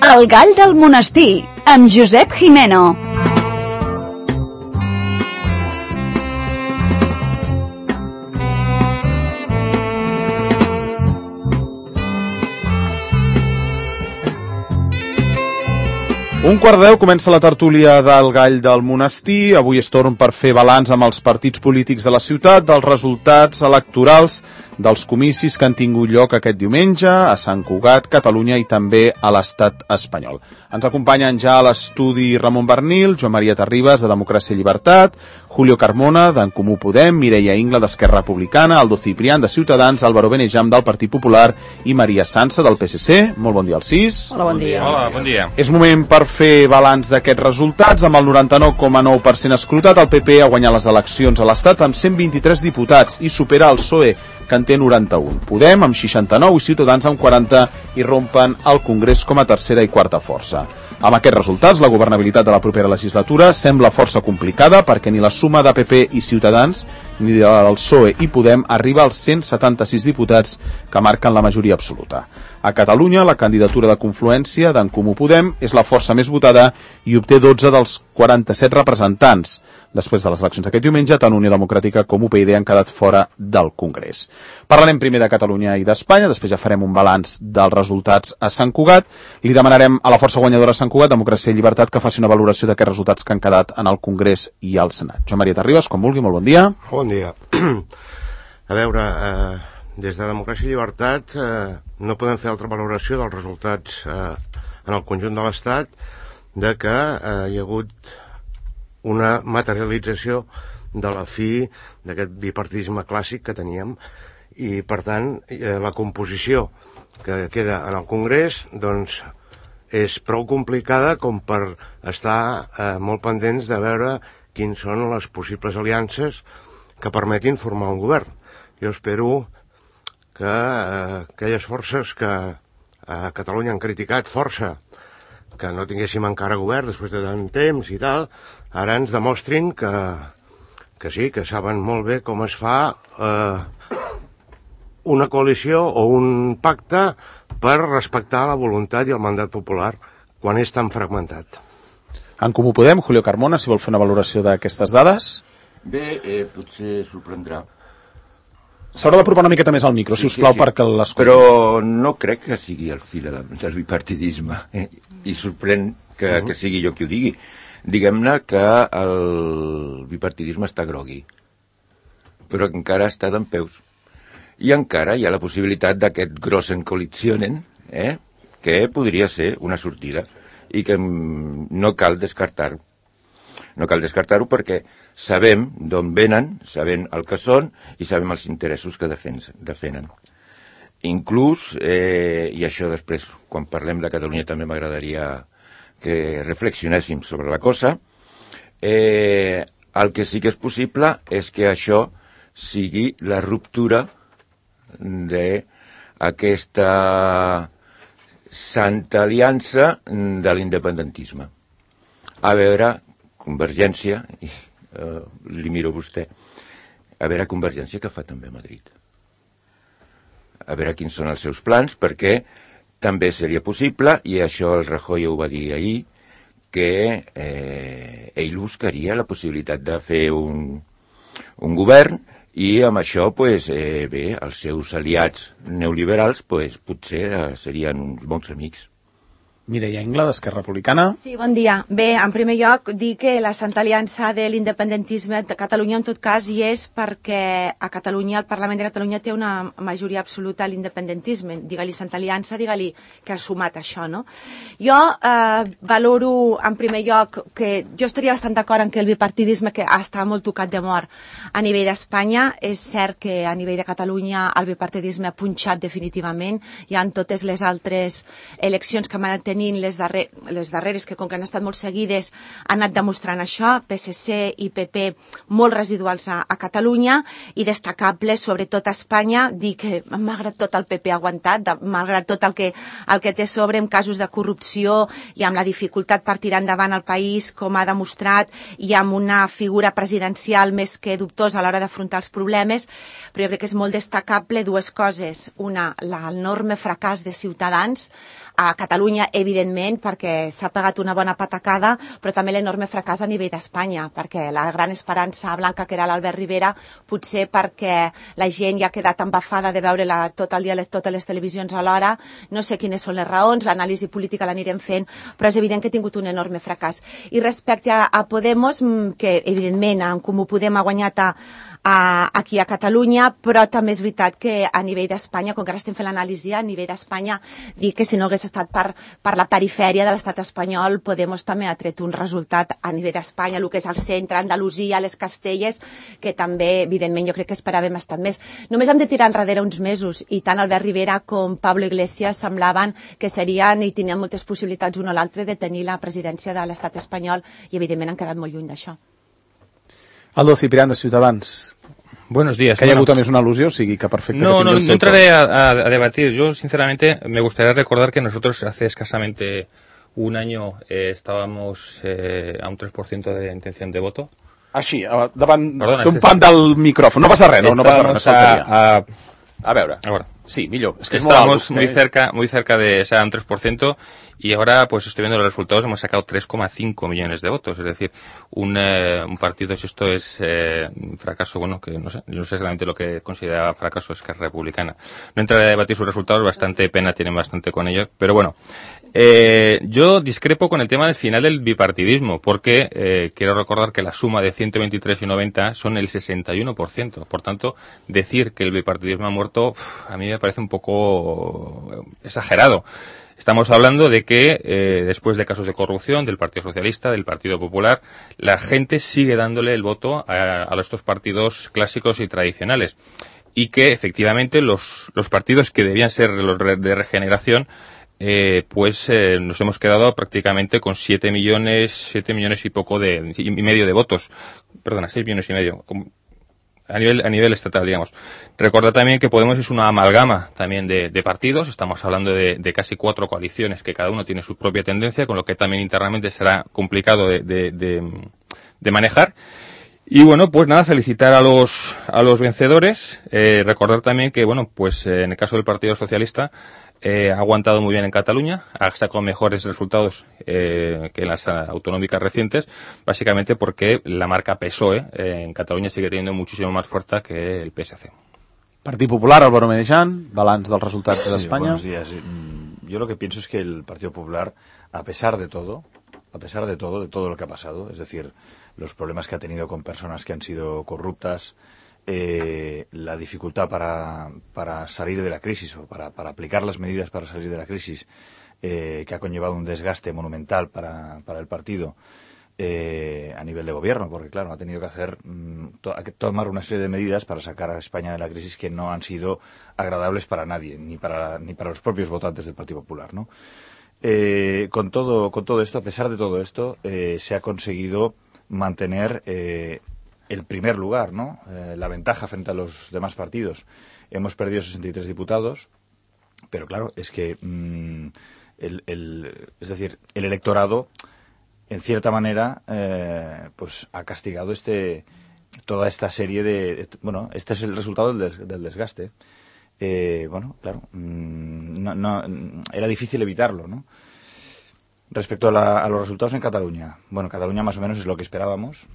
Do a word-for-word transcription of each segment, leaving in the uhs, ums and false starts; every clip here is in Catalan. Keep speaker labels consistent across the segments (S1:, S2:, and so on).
S1: El gall del monestir, amb Josep Jimeno.
S2: Un quart de deu comença la tertúlia del gall del monestir. Avui és torn per fer balanç amb els partits polítics de la ciutat, dels resultats electorals, dels comicis que han tingut lloc aquest diumenge a Sant Cugat, Catalunya i també a l'estat espanyol. Ens acompanyen ja a l'estudi Ramon Bernil, Joan Maria Terribas, de Democràcia i Llibertat, Julio Carmona, d'en Comú Podem, Mireia Ingla, d'Esquerra Republicana, Aldo Ciprián, de Ciutadans, Álvaro Benejam, del Partit Popular i Maria Sansa, del P S C. Molt bon dia als sis.
S3: Hola, bon dia.
S4: Hola, bon dia.
S2: És moment per fer balanç d'aquests resultats. Amb el noranta-nou coma nou per cent escrutat, el P P ha guanyat les eleccions a l'Estat amb cent vint-i-tres diputats i supera el P S O E, que en té noranta-un. Podem amb seixanta-nou i Ciutadans amb quaranta i rompen el Congrés com a tercera i quarta força. Amb aquests resultats, la governabilitat de la propera legislatura sembla força complicada perquè ni la suma de P P i Ciutadans ni del P S O E i Podem arriba als cent setanta-sis diputats que marquen la majoria absoluta. A Catalunya, la candidatura de confluència d'en Comú Podem és la força més votada i obté dotze dels quaranta-set representants. Després de les eleccions d'aquest diumenge, tant Unió Democràtica com U P y D han quedat fora del Congrés. Parlarem primer de Catalunya i d'Espanya, després ja farem un balanç dels resultats a Sant Cugat. Li demanarem a la força guanyadora a Sant Cugat, Democràcia i Llibertat, que faci una valoració d'aquests resultats que han quedat en el Congrés i al Senat. Joan Maria Terribas, com vulgui, molt bon dia.
S3: Bon dia. A veure, eh, des de Democràcia i Llibertat eh, no podem fer altra valoració dels resultats eh, en el conjunt de l'Estat de que eh, hi ha hagut una materialització de la fi d'aquest bipartidisme clàssic que teníem i, per tant, eh, la composició que queda en el Congrés doncs és prou complicada com per estar eh, molt pendents de veure quins són les possibles aliances que permetin formar un govern. Jo espero que eh, aquelles forces que a Catalunya han criticat força que no tinguéssim encara govern després de tant temps i tal, ara ens demostrin que, que sí, que saben molt bé com es fa eh, una coalició o un pacte per respectar la voluntat i el mandat popular quan és tan fragmentat.
S2: En Comú Podem, Julio Carmona, si vol fer una valoració d'aquestes dades.
S5: Bé, eh, potser sorprendrà.
S2: S'haurà d'apropar una miqueta més al micro,
S5: Sí,
S2: si us plau,
S5: sí, sí.
S2: perquè l'escolti.
S5: Però no crec que sigui el fi de la, del bipartidisme. Eh? I sorprèn que, uh -huh. que sigui jo qui ho digui. Diguem-ne que el bipartidisme està grogui, però encara està dempeus. I encara hi ha la possibilitat d'aquest grossen coalitionen, eh? que podria ser una sortida i que no cal descartar-ho. No cal descartar-ho perquè sabem d'on venen, sabem el que són i sabem els interessos que defenen. Inclús, eh, i això després, quan parlem de Catalunya també m'agradaria que reflexionéssim sobre la cosa, eh, el que sí que és possible és que això sigui la ruptura d'aquesta santa aliança de l'independentisme. A veure, Convergència, i, uh, li miro a vostè, a veure Convergència que fa també a Madrid. A veure quins són els seus plans, perquè també seria possible, i això el Rajoy ho va dir ahir, que eh, ell buscaria la possibilitat de fer un, un govern i amb això, pues, eh, bé, els seus aliats neoliberals pues, potser eh, serien uns bons amics.
S2: Mireia Ingla, d'Esquerra Republicana.
S6: Sí, bon dia. Bé, en primer lloc, dir que la Santa Aliança de l'Independentisme de Catalunya, en tot cas, hi és perquè a Catalunya, el Parlament de Catalunya té una majoria absoluta a l'independentisme. Digue-li Santa Aliança, digue-li que ha sumat això, no? Jo eh, valoro, en primer lloc, que jo estaria bastant d'acord en que el bipartidisme que està molt tocat de mort a nivell d'Espanya. És cert que a nivell de Catalunya el bipartidisme ha punxat definitivament. Hi ha totes les altres eleccions que van tenir Les, darrer, les darreres, que com que han estat molt seguides, han anat demostrant això, P S C i P P molt residuals a, a Catalunya i destacables, sobretot a Espanya, dir que malgrat tot el P P ha aguantat, de, malgrat tot el que, el que té sobre en casos de corrupció i amb la dificultat per tirar endavant el país, com ha demostrat, i amb una figura presidencial més que dubtosa a l'hora d'afrontar els problemes, però jo crec que és molt destacable dues coses. Una, l'enorme fracàs de Ciutadans. A Catalunya, evidentment, evidentment, perquè s'ha pagat una bona patacada, però també l'enorme fracàs a nivell d'Espanya, perquè la gran esperança blanca que era l'Albert Rivera, potser perquè la gent ja ha quedat embafada de veure la, tot el dia les, totes les televisions alhora, no sé quines són les raons, l'anàlisi política l'anirem fent, però és evident que ha tingut un enorme fracàs. I respecte a, a Podemos, que evidentment en Comú Podem ha guanyat a A, aquí a Catalunya, però també és veritat que a nivell d'Espanya, com que ara estem fent l'anàlisi, a nivell d'Espanya, dir que si no hagués estat per, per la perifèria de l'estat espanyol, Podemos també ha tret un resultat a nivell d'Espanya, el que és el centre, Andalusia, les Castelles, que també, evidentment, jo crec que esperàvem estar més. Només hem de tirar enrere uns mesos, i tant Albert Rivera com Pablo Iglesias semblaven que serien i tenien moltes possibilitats un o l'altre de tenir la presidència de l'estat espanyol, i evidentment han quedat molt lluny d'això.
S2: Aldo Ciprián, de Ciutadans.
S4: Buenos días.
S2: Que haya
S4: bueno,
S2: hagut también una alusión, sí, que perfecto.
S4: No,
S2: que
S4: no, no
S2: el
S4: entraré a, a, a debatir. Yo, sinceramente, me gustaría recordar que nosotros hace escasamente un año eh, estábamos eh, a un tres por ciento de intención de voto.
S2: Així, davant
S4: Perdona,
S2: d'un pan del micròfon. No passa res, no, no passa res.
S4: A, a,
S2: a veure,
S4: ahora.
S2: Sí, millor. Es que
S4: Estamos
S2: es
S4: muy cerca, muy cerca de, o sea, un tres por ciento, y ahora pues estoy viendo los resultados, hemos sacado tres coma cinco millones de votos, es decir, un, eh, un partido, si esto es eh, un fracaso, bueno, que no sé, no sé exactamente lo que considera fracaso, es que es republicana. No entraré a debatir sus resultados, bastante pena tienen bastante con ellos, pero bueno, eh, yo discrepo con el tema del final del bipartidismo, porque eh, quiero recordar que la suma de ciento veintitrés y noventa son el sesenta y uno por ciento, por tanto, decir que el bipartidismo ha muerto, uf, a mí me parece un poco exagerado. Estamos hablando de que eh, después de casos de corrupción del Partido Socialista, del Partido Popular, la gente sigue dándole el voto a, a estos partidos clásicos y tradicionales, y que efectivamente los, los partidos que debían ser los de regeneración, eh, pues eh, nos hemos quedado prácticamente con siete millones, siete millones y poco de, y medio de votos, perdona, seis millones y medio. A nivel, a nivel estatal, digamos. Recordad también que Podemos es una amalgama también de, de partidos. Estamos hablando de, de casi cuatro coaliciones que cada uno tiene su propia tendencia, con lo que también internamente será complicado de, de, de, de manejar. Y bueno, pues nada, felicitar a los, a los vencedores. Eh, recordar también que, bueno, pues eh, en el caso del Partido Socialista, Eh, ha aguantado muy bien en Cataluña, ha sacado mejores resultados eh, que en las uh, autonómicas recientes, básicamente porque la marca P S O E eh, en Cataluña sigue teniendo muchísimo más fuerza que el P S C.
S2: Partit Popular, Álvaro Meneján, balanç dels resultats
S7: sí,
S2: de España.
S7: Buenos días. Yo lo que pienso es que el Partido Popular, a pesar de todo, a pesar de todo, de todo lo que ha pasado, es decir, los problemas que ha tenido con personas que han sido corruptas, Eh, la dificultad para, para salir de la crisis o para, para aplicar las medidas para salir de la crisis eh, que ha conllevado un desgaste monumental para, para el partido eh, a nivel de gobierno, porque claro, ha tenido que hacer mm, to que tomar una serie de medidas para sacar a España de la crisis que no han sido agradables para nadie, ni para, ni para los propios votantes del Partido Popular, ¿no? Eh, con todo, con todo esto, a pesar de todo esto, eh, se ha conseguido mantener eh, el primer lugar, ¿no? Eh, la ventaja frente a los demás partidos. Hemos perdido sesenta y tres diputados, pero claro, es que mmm, el, el, es decir, el electorado, en cierta manera, eh, pues ha castigado este toda esta serie de, bueno, este es el resultado del, des, del desgaste. Eh, bueno, claro, mmm, no, no, era difícil evitarlo, ¿no? Respecto a, la, a los resultados en Cataluña, bueno, Cataluña más o menos es lo que esperábamos.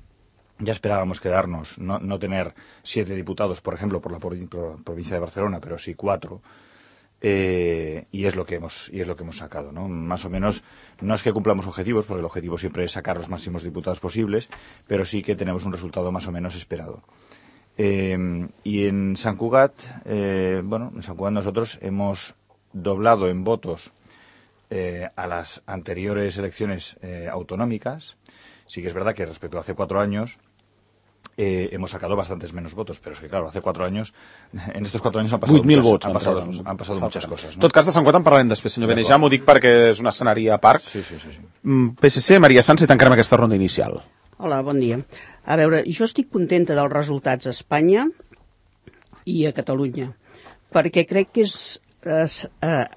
S7: Ya esperábamos quedarnos, no, no tener siete diputados, por ejemplo, por la provincia de Barcelona, pero sí cuatro, eh, y es lo que hemos y es lo que hemos sacado, ¿no? Más o menos, no es que cumplamos objetivos, porque el objetivo siempre es sacar los máximos diputados posibles, pero sí que tenemos un resultado más o menos esperado. Eh, y en Sant Cugat, eh, bueno, en Sant Cugat nosotros hemos doblado en votos eh, a las anteriores elecciones eh, autonómicas. Sí que es verdad que respecto a hace cuatro años eh, hemos sacado bastantes menos votos, pero es que claro, hace cuatro años, en estos cuatro años han pasado, muchas, vots, han pasado, han pasado muchas cosas.
S2: En tot cas, de Sant Cugat en parlarem després, senyor Benejam, ho dic perquè és un escenari a part.
S7: Sí, sí, sí, sí.
S2: P S C, Maria Sanz, i tancarem aquesta ronda inicial.
S8: Hola, bon dia. A veure, jo estic contenta dels resultats a Espanya i a Catalunya, perquè crec que és, és eh,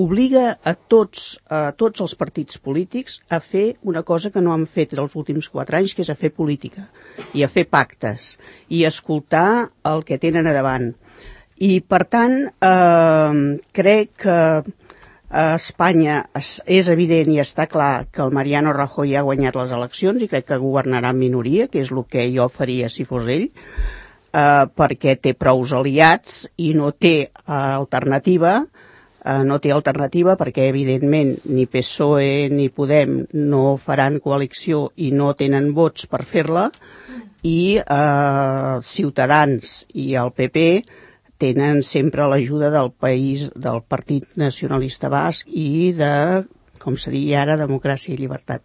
S8: obliga a tots, a tots els partits polítics a fer una cosa que no han fet els últims quatre anys, que és a fer política i a fer pactes i a escoltar el que tenen a davant. I, per tant, eh, crec que a Espanya és, és evident i està clar que el Mariano Rajoy ha guanyat les eleccions i crec que governarà en minoria, que és el que jo faria si fos ell, eh, perquè té prous aliats i no té eh, alternativa, eh, no té alternativa perquè evidentment ni P S O E ni Podem no faran coalició i no tenen vots per fer-la, i eh, Ciutadans i el P P tenen sempre l'ajuda del país, del Partit Nacionalista Basc i de, com se diria ara, Democràcia i Llibertat.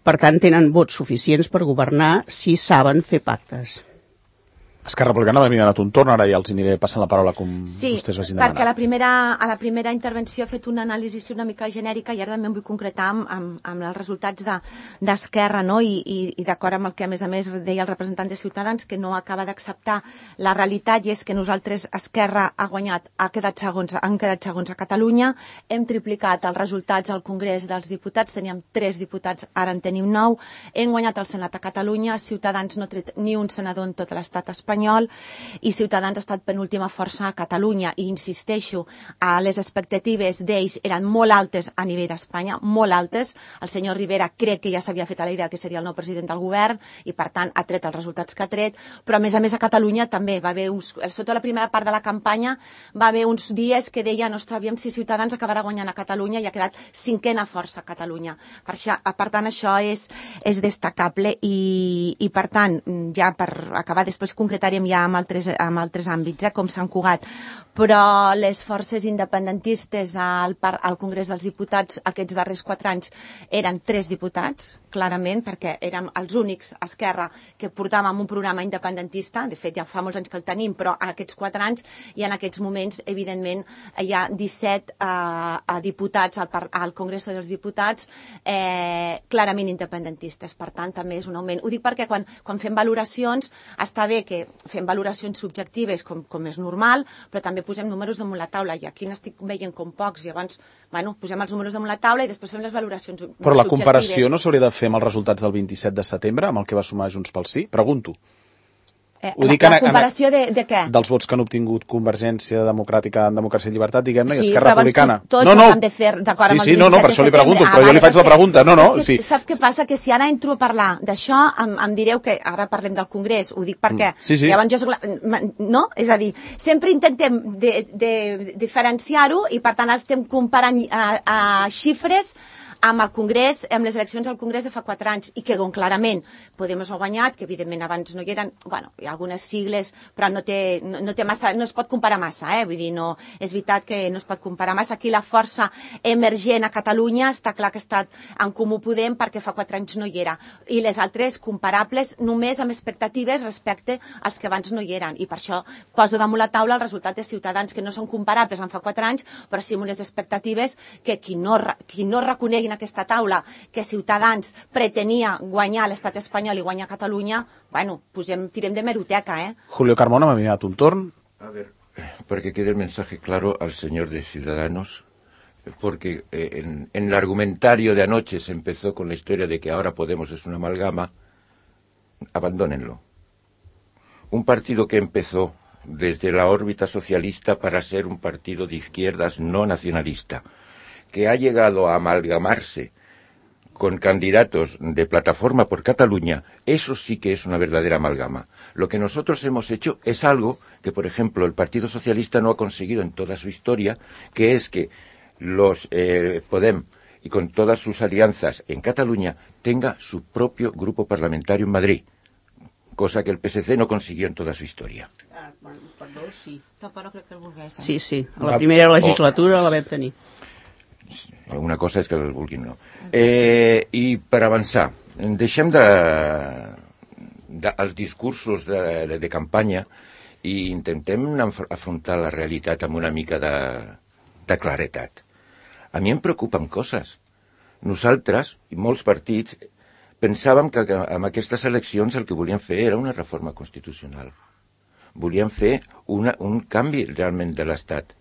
S8: Per tant, tenen vots suficients per governar si saben fer pactes.
S2: Esquerra Republicana m'ha donat un torn, ara ja els aniré passant la paraula com
S6: sí,
S2: vostès vagin demanar.
S6: Sí, perquè a la, primera, a la primera intervenció he fet una anàlisi una mica genèrica i ara també em vull concretar amb, amb, amb els resultats d'Esquerra, no? I, i, i d'acord amb el que a més a més deia el representant de Ciutadans, que no acaba d'acceptar la realitat, i és que nosaltres, Esquerra, ha guanyat, ha quedat segons, han quedat segons a Catalunya, hem triplicat els resultats al Congrés dels Diputats, teníem tres diputats, ara en tenim nou, hem guanyat el Senat a Catalunya, Ciutadans no ha tret ni un senador en tot l'estat espanyol, i Ciutadans ha estat penúltima força a Catalunya, i insisteixo, a les expectatives d'ells eren molt altes a nivell d'Espanya, molt altes. El senyor Rivera crec que ja s'havia fet a la idea que seria el nou president del govern i per tant ha tret els resultats que ha tret, però a més a més a Catalunya també va haver uns, sota la primera part de la campanya va haver uns dies que deia, no aviam si Ciutadans acabarà guanyant a Catalunya, i ha quedat cinquena força a Catalunya. Per, això, per tant això és, és destacable, i, i per tant, ja per acabar després concretar ja amb altres, amb altres àmbits, eh, com Sant Cugat, però les forces independentistes al, al Congrés dels Diputats aquests darrers quatre anys eren tres diputats, clarament, perquè érem els únics, Esquerra, que portàvem un programa independentista. De fet, ja fa molts anys que el tenim, però en aquests quatre anys i en aquests moments, evidentment, hi ha disset eh, diputats al, al Congrés dels Diputats eh, clarament independentistes. Per tant, també és un augment. Ho dic perquè quan, quan fem valoracions, està bé que fem valoracions subjectives, com, com és normal, però també posem números damunt la taula, i aquí n'estic veient com pocs, i llavors, bueno, posem els números damunt la taula i després fem les valoracions subjectives.
S2: Però la comparació no s'hauria de fer amb els resultats del vint-i-set de setembre, amb el que va sumar Junts pel Sí? Pregunto.
S6: Eh, la, la comparació de, de què?
S2: Dels vots que han obtingut Convergència Democràtica en Democràcia i Llibertat, diguem-ne,
S6: sí,
S2: i Esquerra Republicana.
S6: Tots
S2: no, no.
S6: han de fer d'acord
S2: sí,
S6: amb el
S2: sí, no, no, per això li pregunto, ah, però vale, jo li faig la pregunta. No, no,
S6: que,
S2: sí.
S6: Sap què passa? Que si ara entro a parlar d'això, em, em direu que ara parlem del Congrés, ho dic perquè
S2: sí, sí.
S6: llavors jo soc la... No? És a dir, sempre intentem de, de, de diferenciar-ho, i per tant estem comparant a, a xifres amb el Congrés, amb les eleccions al Congrés de fa quatre anys, i que on clarament Podemos ha guanyat, que evidentment abans no hi eren, bueno, hi ha algunes sigles, però no té, no, no té massa, no es pot comparar massa, eh? Vull dir, no, és veritat que no es pot comparar massa. Aquí la força emergent a Catalunya està clar que ha estat en Comú Podem, perquè fa quatre anys no hi era, i les altres comparables només amb expectatives respecte als que abans no hi eren, i per això poso damunt la taula el resultat de Ciutadans, que no són comparables amb fa quatre anys, però sí amb unes expectatives que qui no, qui no reconegui en aquesta taula que Ciutadans pretenia guanyar l'estat espanyol i guanyar Catalunya, bueno, posem, tirem de meroteca, ¿eh?
S2: Julio Carmona, me ha enviado un turno.
S5: A ver, para que quede el mensaje claro al señor de Ciudadanos, porque eh, en, en el argumentario de anoche se empezó con la historia de que ahora Podemos es una amalgama. Abandónenlo. Un partido que empezó desde la órbita socialista para ser un partido de izquierdas no nacionalista, que ha llegado a amalgamarse con candidatos de Plataforma por Cataluña, eso sí que es una verdadera amalgama. Lo que nosotros hemos hecho es algo que, por ejemplo, el Partido Socialista no ha conseguido en toda su historia, que es que los eh, Podem, y con todas sus alianzas en Cataluña, tenga su propio grupo parlamentario en Madrid, cosa que el P S C no consiguió en toda su historia.
S8: Ah, bueno, perdó, sí.
S6: Tampoc no crec que el volgués. Eh?
S8: Sí, sí, a la primera legislatura la vam tenir.
S5: Una cosa és que el vulguin, no. Eh, I per avançar, deixem de, de els discursos de, de, de campanya i intentem afrontar la realitat amb una mica de, de claretat. A mi em preocupen coses. Nosaltres, i molts partits, pensàvem que amb aquestes eleccions el que volíem fer era una reforma constitucional. Volíem fer una, un canvi realment de l'Estat.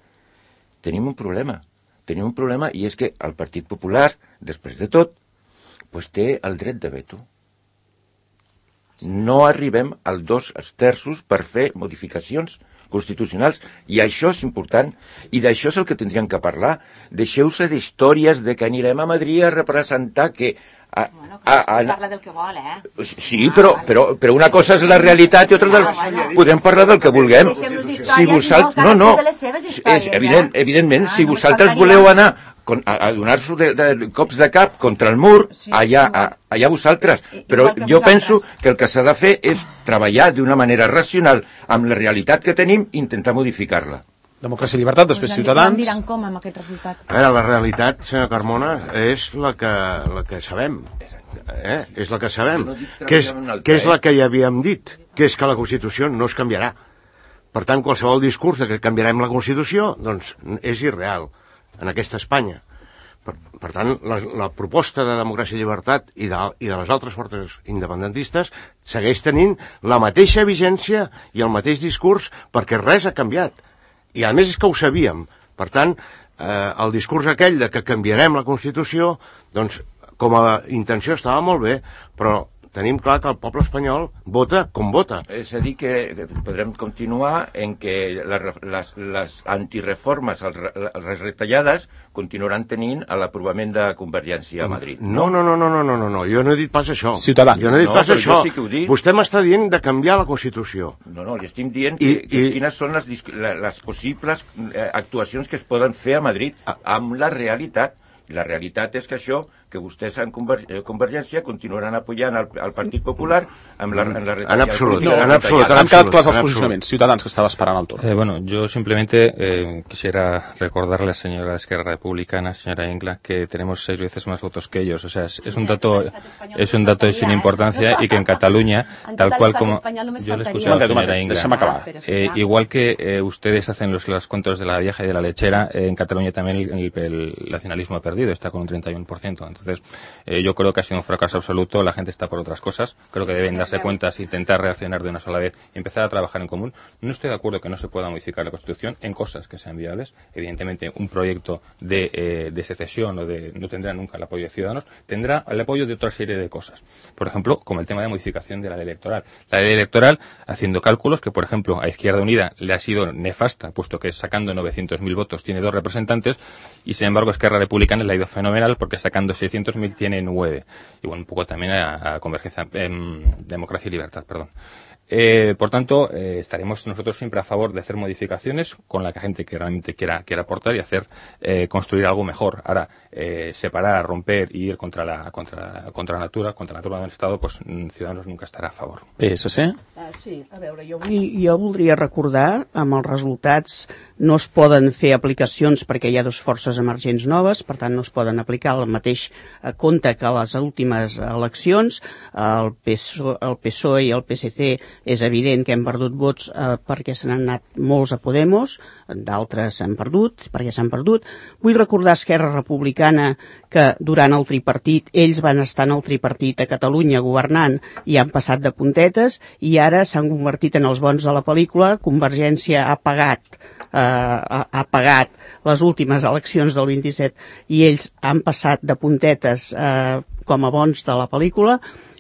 S5: Tenim un problema. Tenim un problema, i és que el Partit Popular, després de tot, pues té el dret de veto. No arribem als dos terços per fer modificacions constitucionals, i això és important, i d'això és el que tindríem que parlar. Deixeu-se d'històries de que anirem a Madrid a representar que... A,
S6: bueno,
S5: a, a,
S6: parla del que vol, eh?
S5: Sí, però, però, però una cosa és la realitat i altra del... Podem parlar del que vulguem. Si vosaltres... No, no, és evident, evidentment, si vosaltres voleu anar a, a donar-vos de, de cops de cap contra el mur, allà, a, allà vosaltres. Però jo penso que el que s'ha de fer és treballar d'una manera racional amb la realitat que tenim i intentar modificar-la.
S2: Democràcia i llibertat, després Ciutadans.
S6: Em diran com amb aquest resultat.
S3: A veure, la realitat, senyor Carmona, és la que, la que sabem. Eh? És la que sabem. Que és, que és la que ja havíem dit, que és que la Constitució no es canviarà. Per tant, qualsevol discurs de que canviarem la Constitució, doncs, és irreal en aquesta Espanya. Per, per tant, la, la proposta de democràcia i llibertat i de, i de les altres forces independentistes segueix tenint la mateixa vigència i el mateix discurs perquè res ha canviat. I a més és que ho sabíem. Per tant, eh, el discurs aquell de que canviarem la Constitució, doncs, com a intenció estava molt bé, però tenim clar que el poble espanyol vota com vota.
S5: És a dir, que podrem continuar en que les, les, les antireformes, les retallades, continuaran tenint l'aprovament de Convergència a Madrid.
S3: No, no, no, no, no, no, no, no. Jo no he dit pas això.
S2: Ciutadans.
S3: Jo no he dit
S5: no,
S3: pas això.
S5: Sí que ho dic.
S3: Vostè m'està dient de canviar la Constitució.
S5: No, no, li estic dient
S3: I,
S5: que, que
S3: i...
S5: quines són les, les possibles actuacions que es poden fer a Madrid amb la realitat. La realitat és que això, que vostès en Conver Convergència continuaran apoyant el, el Partit Popular amb la, en la retallada.
S3: En absolut,
S2: no,
S3: en absolut.
S2: Han quedat clars els posicionaments. Ciutadans, que estaba esperando el turno.
S4: Eh, bueno, yo simplemente eh, quisiera recordarle a la señora de Esquerra Republicana, señora Ingla, que tenemos seis veces más votos que ellos. O sea, es, es un dato es un dato sin importancia y que en Cataluña, tal cual como yo le escuché a la señora Ingla, eh, igual que eh, ustedes hacen los, los contos de la vieja y de la lechera, eh, en Cataluña también el, el, el nacionalismo ha perdido, está con un treinta y uno por ciento. Entonces, eh, yo creo que ha sido un fracaso absoluto. La gente está por otras cosas. Creo que deben darse cuenta, intentar reaccionar de una sola vez y empezar a trabajar en común. No estoy de acuerdo que no se pueda modificar la Constitución en cosas que sean viables. Evidentemente, un proyecto de, eh, de secesión o de no tendrá nunca el apoyo de Ciudadanos, tendrá el apoyo de otra serie de cosas. Por ejemplo, como el tema de modificación de la ley electoral. La ley electoral, haciendo cálculos que, por ejemplo, a Izquierda Unida le ha sido nefasta, puesto que sacando novecientos mil votos tiene dos representantes, y sin embargo Esquerra Republicana le ha ido fenomenal porque sacando seiscientos mil tiene nueve. Y bueno, un poco también a, a Convergencia, eh, Democracia y Libertad, perdón. Eh, por tanto, eh, estaremos nosotros siempre a favor de hacer modificaciones con la que la gente que realmente quiera, quiera aportar y hacer eh, construir algo mejor. Ahora, eh, separar, romper y ir contra la, contra, contra la natura, contra la natura del Estado, pues Ciudadanos nunca estarà a favor.
S2: P S C?
S8: Ah, sí, a veure, jo, vull, jo voldria recordar, amb els resultats no es poden fer aplicacions perquè hi ha dues forces emergents noves, per tant no es poden aplicar el mateix compte que a les últimes eleccions. El P S O E, el P S O E i el P S C és evident que hem perdut vots eh, perquè se n'han anat molts a Podemos, d'altres s'han perdut, perquè s'han perdut. Vull recordar a Esquerra Republicana que durant el tripartit, ells van estar en el tripartit a Catalunya governant i han passat de puntetes i ara s'han convertit en els bons de la pel·lícula. Convergència ha pagat, eh, ha, ha pagat les últimes eleccions del vint-i-set i ells han passat de puntetes eh, com a bons de la pel·lícula.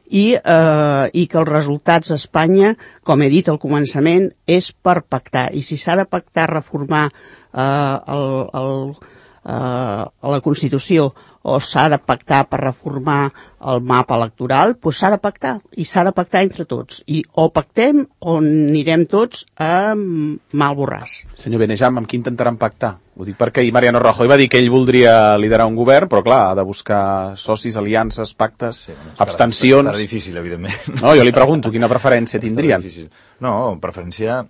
S8: I, eh, i que els resultats a Espanya, com he dit al començament, és per pactar. I si s'ha de pactar reformar eh, el, el, eh, la Constitució o s'ha de pactar per reformar el mapa electoral, doncs s'ha de pactar. I s'ha de pactar entre tots. I o pactem o anirem tots a mal borràs.
S2: Senyor Benejam, amb qui intentaran pactar? Ho dic perquè ahir Mariano Rajoy va dir que ell voldria liderar un govern, però clar, ha de buscar socis, aliances, pactes, sí, bueno, abstencions...
S7: Estarà difícil, evidentment.
S2: No, jo li pregunto, quina preferència tindrien?
S7: No, preferència...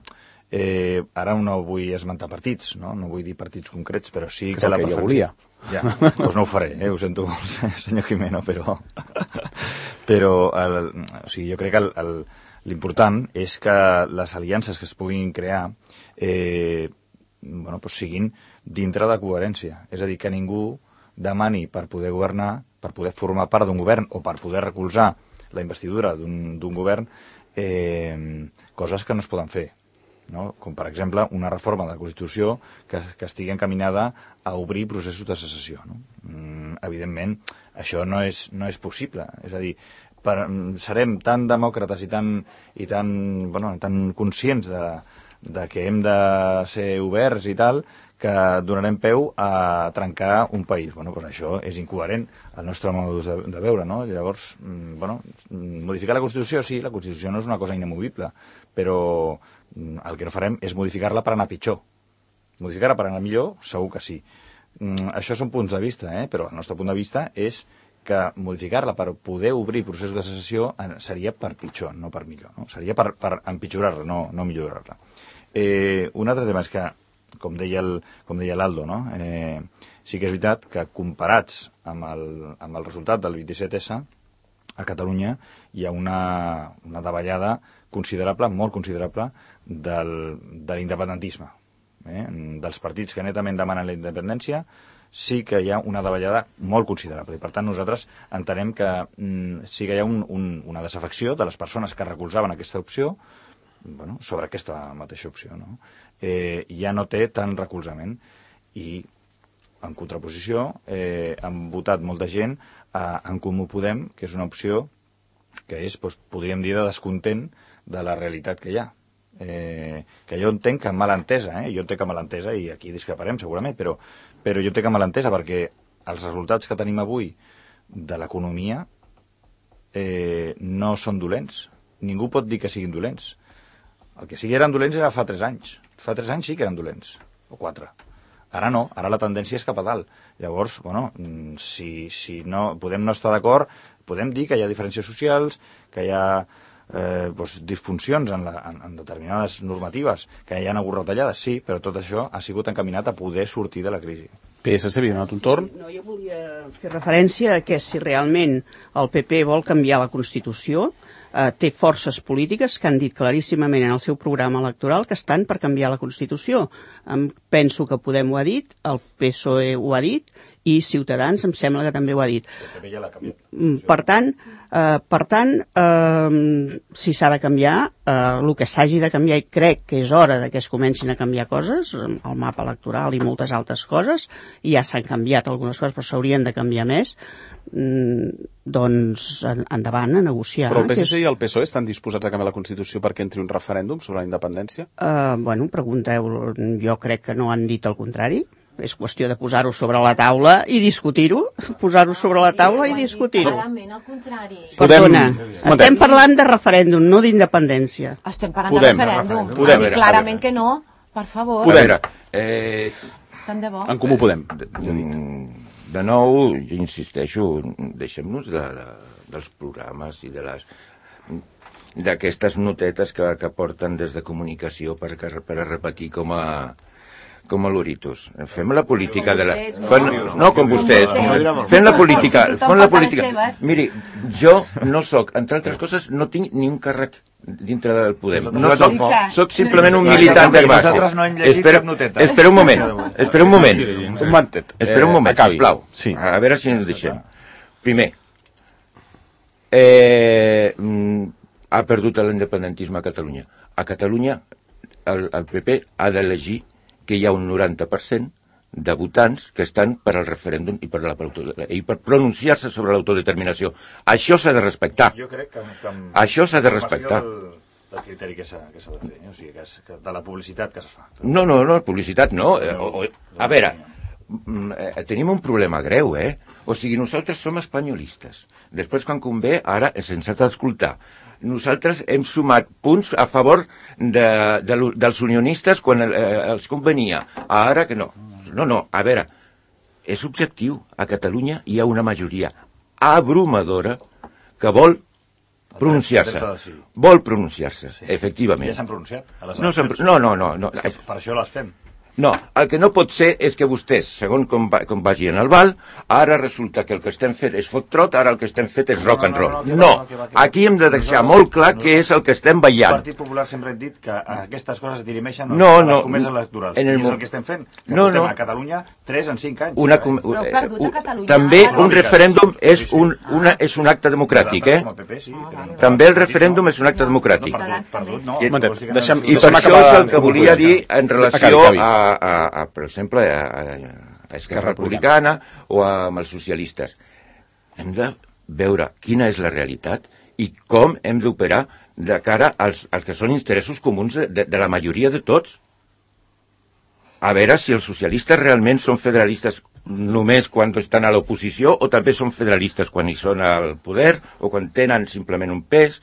S7: Eh, ara no vull esmentar partits, no? No vull dir partits concrets, però sí que,
S2: que
S7: la
S2: que
S7: preferència... Ja, doncs no ho faré, eh? Ho sento molt, senyor Jimeno, però... però, el, o sigui, jo crec que l'important és que les aliances que es puguin crear eh, bueno, doncs siguin dintre de coherència. És a dir, que ningú demani per poder governar, per poder formar part d'un govern o per poder recolzar la investidura d'un govern, eh, coses que no es poden fer. No? Com per exemple una reforma de la Constitució que, que estigui encaminada a obrir processos de secessió, no? Mm, evidentment això no és, no és possible, és a dir, per, serem tan demòcrates i tan, i tan, bueno, tan conscients de, de que hem de ser oberts i tal, que donarem peu a trencar un país. Bueno, doncs això és incoherent al nostre modus de, de veure, no? Llavors, bueno, modificar la Constitució, sí, la Constitució no és una cosa inamovible, però el que no farem és modificar-la per anar pitjor. Modificar-la per anar millor, segur que sí. Això són punts de vista, eh? Però el nostre punt de vista és que modificar-la per poder obrir processos de secessió seria per pitjor, no per millor, no? Seria per, per empitjorar-la, no, no millorar-la. Eh, un altre tema és que com deia el, com deia l'Aldo, no? Eh, sí que és veritat que comparats amb el, amb el resultat del vint-i-set essa, a Catalunya hi ha una, una davallada considerable, molt considerable, del, de l'independentisme. Eh? Dels partits que netament demanen la independència, sí que hi ha una davallada molt considerable. I, per tant, nosaltres entenem que mm, sí que hi ha un, un, una desafecció de les persones que recolzaven aquesta opció, bueno, sobre aquesta mateixa opció, no? Eh, ja no té tant recolzament i en contraposició eh, han votat molta gent a En Comú Podem, que és una opció que és, doncs, podríem dir, de descontent de la realitat que hi ha. Eh, que jo entenc que mal entesa, eh? jo entenc que mal entesa, i aquí discreparem segurament, però, però jo entenc que mal entesa perquè els resultats que tenim avui de l'economia eh, no són dolents. Ningú pot dir que siguin dolents. El que sí que eren dolents era fa tres anys. Fa tres anys sí que eren dolents, o quatre. Ara no, ara la tendència és cap a dalt. Llavors, bueno, si, si no, podem no estar d'acord, podem dir que hi ha diferències socials, que hi ha eh, doncs, disfuncions en, la, en, en determinades normatives, que hi ha hagut retallades, sí, però tot això ha sigut encaminat a poder sortir de la crisi.
S2: P S C, havia donat un torn?
S8: Sí, no, jo volia fer referència a que si realment el P P vol canviar la Constitució, eh, té forces polítiques que han dit claríssimament en el seu programa electoral que estan per canviar la Constitució. Em penso que Podem ho ha dit, el P S O E ho ha dit, i Ciutadans em sembla que també ho ha dit. Per tant, eh, per tant eh, si s'ha de canviar, eh, el que s'hagi de canviar, i crec que és hora de que es comencin a canviar coses, el mapa electoral i moltes altres coses, i ja s'han canviat algunes coses, però s'haurien de canviar més, mm, doncs endavant a negociar.
S2: Però el P S C i el P S O E estan disposats a canviar la Constitució perquè entri un referèndum sobre la independència?
S8: Eh, bueno, pregunteu, jo crec que no han dit el contrari. És qüestió de posar-ho sobre la taula i discutir-ho, posar-ho sobre la taula i discutir-ho.
S6: Clarament, al contrari.
S8: Perdona, estem parlant de referèndum, no d'independència.
S6: Estem parlant de referèndum. Ha dit clarament que no, per favor.
S5: A veure, eh,
S6: tant de bo.
S2: En Comú Podem.
S5: De, de nou, jo insisteixo, deixem-nos de, de, dels programes i de les d'aquestes notetes que, que porten des de comunicació per, per a repetir com a com a loritos. Fem la política de la... Fem, no, com vostès. Fem la política. Fem la política. Miri, jo no soc, entre altres coses, no tinc ni un càrrec dintre del Podem. No soc, soc simplement un militant de base. Espera, espera un moment. Espera un moment.
S2: Un momentet.
S5: Espera un moment, sisplau. A veure si ens deixem. Primer, eh, ha perdut l'independentisme a Catalunya. A Catalunya, el, el P P ha d'elegir que hi ha un noranta per cent de votants que estan per al referèndum i per, la, i per pronunciar-se sobre l'autodeterminació. Això s'ha de respectar.
S7: Jo crec que, que
S5: això s'ha de respectar.
S7: Del, del criteri que s'ha de fer, eh? O sigui, que és, que de la publicitat que es fa.
S5: No, no, no, publicitat no. Eh, o, o, a veure, eh, tenim un problema greu, eh? O sigui, nosaltres som espanyolistes. Després, quan convé, ara se'ns ha d'escoltar. Nosaltres hem sumat punts a favor de, de, dels unionistes quan eh, els convenia. Ara que no. No, no, a veure, és objectiu. A Catalunya hi ha una majoria abrumadora que vol pronunciar-se. Vol pronunciar-se, efectivament.
S7: Ja s'han pronunciat?
S5: No, no, no, no, no.
S7: Per això les fem.
S5: No, el que no pot ser és que vostès, segons com, va, com vagin al bal, ara resulta que el que estem fent és foc-trot, ara el que estem fet és rock and roll. No, aquí hem de deixar molt clar què és el que estem veient.
S7: El Partit Popular sempre ha dit que aquestes coses es dirimeixen
S5: no,
S7: a les
S5: no,
S7: comeses electorals.
S5: En el...
S7: I és el que estem fent. Que
S5: no,
S7: portem
S5: no.
S7: a Catalunya tres en cinc anys.
S5: Una, com... Però perdut a Catalunya. També un referèndum és un, una, és un acte democràtic, eh? També el referèndum és un acte democràtic. I per això és el que volia dir en relació a, a, a per exemple, a, a Esquerra Republicana o amb els socialistes. Hem de veure quina és la realitat i com hem d'operar de cara als, als que són interessos comuns de, de, de la majoria de tots. A veure si els socialistes realment són federalistes només quan estan a l'oposició o també són federalistes quan hi són al poder o quan tenen simplement un pes.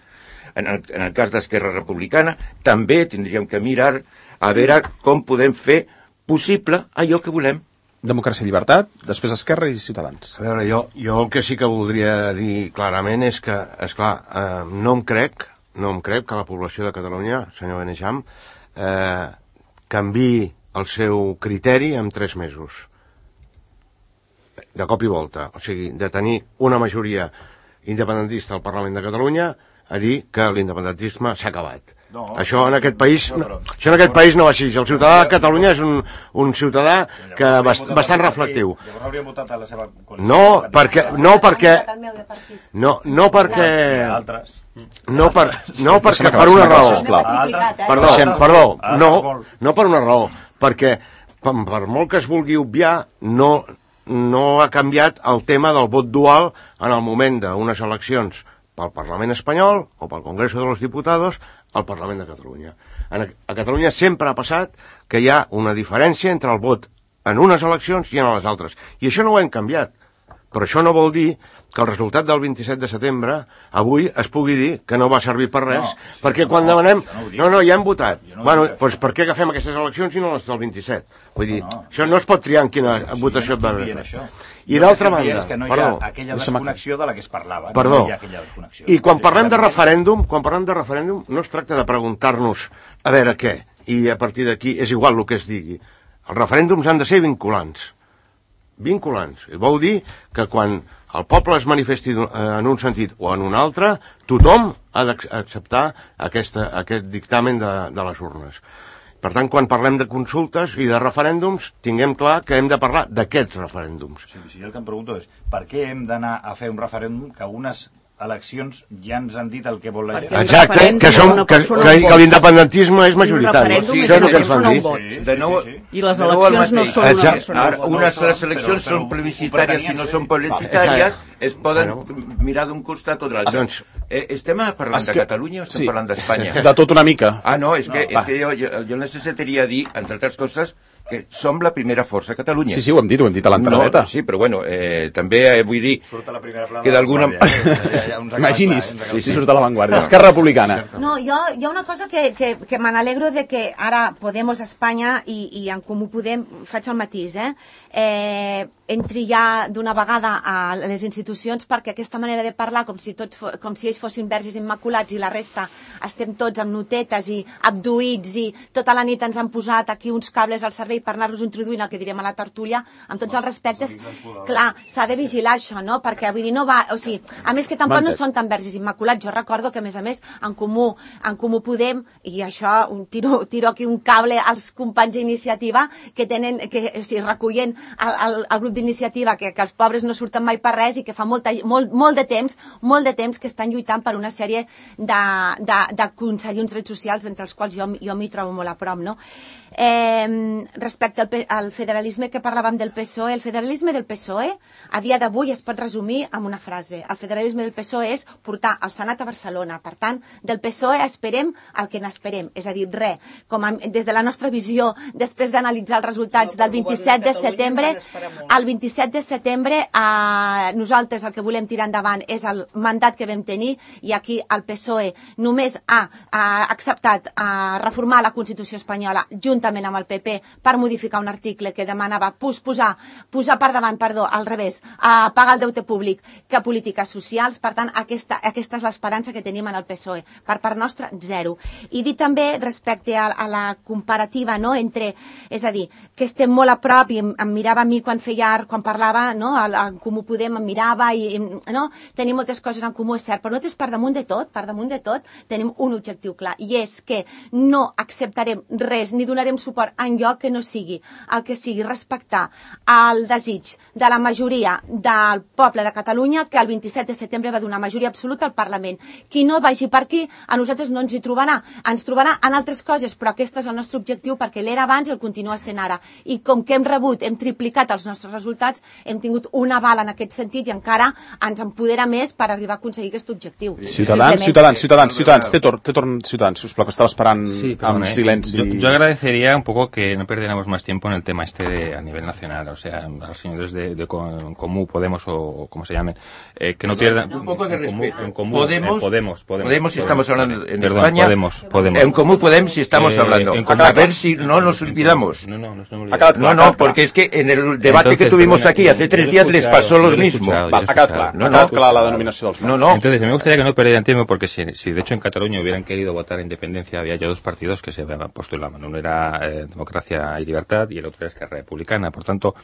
S5: En el, en el cas d'Esquerra Republicana també tindríem que mirar a veure com podem fer possible allò que volem.
S2: Democràcia i llibertat, després Esquerra i Ciutadans.
S3: A veure, jo, jo el que sí que voldria dir clarament és que, esclar, eh, no em crec, no em crec que la població de Catalunya, senyor Benejam, eh, canviï el seu criteri en tres mesos. De cop i volta. O sigui, de tenir una majoria independentista al Parlament de Catalunya a dir que l'independentisme s'ha acabat. No, això en aquest país no, no, això en aquest país no va així. El ciutadà de Catalunya és un, un ciutadà que bast, bastant reflectiu. No, perquè no perquè no, no perquè no per no perquè per una raó. Perdó, perdó, no, no per una raó, perquè per molt que es vulgui obviar, no no ha canviat el tema del vot dual en el moment d'unes eleccions pel Parlament espanyol o pel Congreso de los Diputados al Parlament de Catalunya. A Catalunya sempre ha passat que hi ha una diferència entre el vot en unes eleccions i en les altres. I això no ho hem canviat. Però això no vol dir que el resultat del vint-i-set de setembre avui es pugui dir que no va servir per res, no, sí, perquè quan no, demanem... No, no, ja hem votat. No bueno, doncs per què agafem aquestes eleccions i no les del vint-i-set? Vull dir, no, no, això no es pot triar en quina sí, votació et va haver. I d'altra banda...
S7: És que no hi ha aquella desconnexió de la que es parlava.
S3: Perdó. I quan parlem de referèndum, quan parlem de referèndum, no es tracta de preguntar-nos a veure què, i a partir d'aquí és igual el que es digui. Els referèndums han de ser vinculants. Vinculants. I vol dir que quan el poble es manifesti en un sentit o en un altre, tothom ha d'acceptar aquesta, aquest dictamen de, de les urnes. Per tant, quan parlem de consultes i de referèndums, tinguem clar que hem de parlar d'aquests referèndums.
S7: Sí, sí, el que em pregunto és, per què hem d'anar a fer un referèndum que unes eleccions ja ens han dit el que vol la gent?
S3: Exacte, que, som, que, que, que l'independentisme és majoritari.
S8: Sí,
S3: això és el que ens van dir.
S8: Sí, de nou, sí, sí, sí. I les eleccions no són una persona.
S5: Unes les eleccions són plebiscitàries i no són plebiscitàries, es poden mirar d'un costat o de l'altre. Doncs, eh, estem parlant de Catalunya o estem parlant d'Espanya?
S2: De tot una mica.
S5: Ah, no, és que, és que jo, jo, jo necessitaria dir, entre altres coses, que som la primera força a Catalunya.
S2: Sí, sí, ho hem dit, ho hem dit a l'entradeta.
S5: No, sí, però bueno, eh, també eh, vull dir que d'alguna...
S2: Imaginis, sí, sí, surt a l'avantguàrdia. Esquerra Republicana.
S6: No, jo, hi ha una cosa que, que, que me n'alegro de que ara Podemos Espanya i, i en Comú Podem, faig el matís, eh? eh entri ja d'una vegada a les institucions, perquè aquesta manera de parlar com si, tots, com si ells fossin verges immaculats i la resta estem tots amb notetes i abduïts i tota la nit ens han posat aquí uns cables al servei per anar-los introduint el que direm a la tertúlia, amb tots els respectes, clar, s'ha de vigilar això, no? Perquè vull dir, no va, o sigui, a més que tampoc no són tan verges immaculats. Jo recordo que a més a més en Comú, en Comú Podem, i això un tiro, tiro aquí un cable als companys d'iniciativa que tenen, que o sigui, recullen el, el, el grup d'iniciativa, que, que els pobres no surten mai per res i que fa molta, molt, molt de temps, molt de temps que estan lluitant per una sèrie d'aconseguir uns drets socials entre els quals jo, jo m'hi trobo molt a prop, no? Eh, respecte al, al federalisme que parlàvem del P S O E, el federalisme del P S O E a dia d'avui es pot resumir amb una frase: el federalisme del P S O E és portar el Senat a Barcelona. Per tant, del P S O E esperem el que n'esperem, és a dir, res, com a, des de la nostra visió, després d'analitzar els resultats del vint-i-set de setembre, el vint-i-set de setembre eh, nosaltres el que volem tirar endavant és el mandat que vam tenir, i aquí el P S O E només ha, ha acceptat a reformar la Constitució espanyola juntament amb el P P per modificar un article que demanava posar, posar per davant, perdó, al revés, a pagar el deute públic que polítiques socials. Per tant, aquesta, aquesta és l'esperança que tenim en el P S O E. Per part nostra, zero. I dir també respecte a, a la comparativa, no?, entre, és a dir, que estem molt a prop, i em, em mirava a mi quan feia, quan parlava, no?, en Comú Podem em mirava, i, no?, tenim moltes coses en comú, és cert, però nosaltres per damunt de tot, per damunt de tot, tenim un objectiu clar, i és que no acceptarem res, ni donarem donem suport en lloc que no sigui el que sigui respectar el desig de la majoria del poble de Catalunya, que el vint-i-set de setembre va donar majoria absoluta al Parlament. Qui no vagi per aquí, a nosaltres no ens hi trobarà. Ens trobarà en altres coses, però aquest és el nostre objectiu perquè l'era abans i el continua sent ara. I com que hem rebut, hem triplicat els nostres resultats, hem tingut una bala en aquest sentit i encara ens empodera més per arribar a aconseguir aquest objectiu.
S2: Ciutadans, ciutadans, ciutadans, ciutadans, té torn, té torn, ciutadans, sisplau, que estava esperant
S4: sí,
S2: amb
S4: eh.
S2: silenci.
S4: Yo, yo agradecería un poco que no perdiéramos más tiempo en el tema este de, a nivel nacional, o sea, a los señores de, de Comú, Podemos o como se llamen, eh, que no pierdan...
S5: Un poco de respeto.
S4: En Comú,
S5: Podemos,
S4: en Podemos, Podemos,
S5: Podemos si estamos hablando en
S4: Perdón,
S5: España.
S4: Podemos, Podemos.
S5: En Comú Podemos si estamos
S4: eh,
S5: hablando. A ver si no nos olvidamos.
S4: No, no, no, no,
S5: no, no, porque es que en el debate Entonces, que tuvimos perdona, aquí hace tres días les pasó lo mismo.
S2: Va, ha quedat clar, no, no, ha quedat clar la denominació dels
S5: no, no.
S4: Entonces, me gustaría que no perdieran tiempo porque si, si de hecho en Cataluña hubieran querido votar independencia, había ya dos partidos que se postulaban. Uno era eh, Democracia y Libertad y el otro era Esquerra Republicana. Por tanto,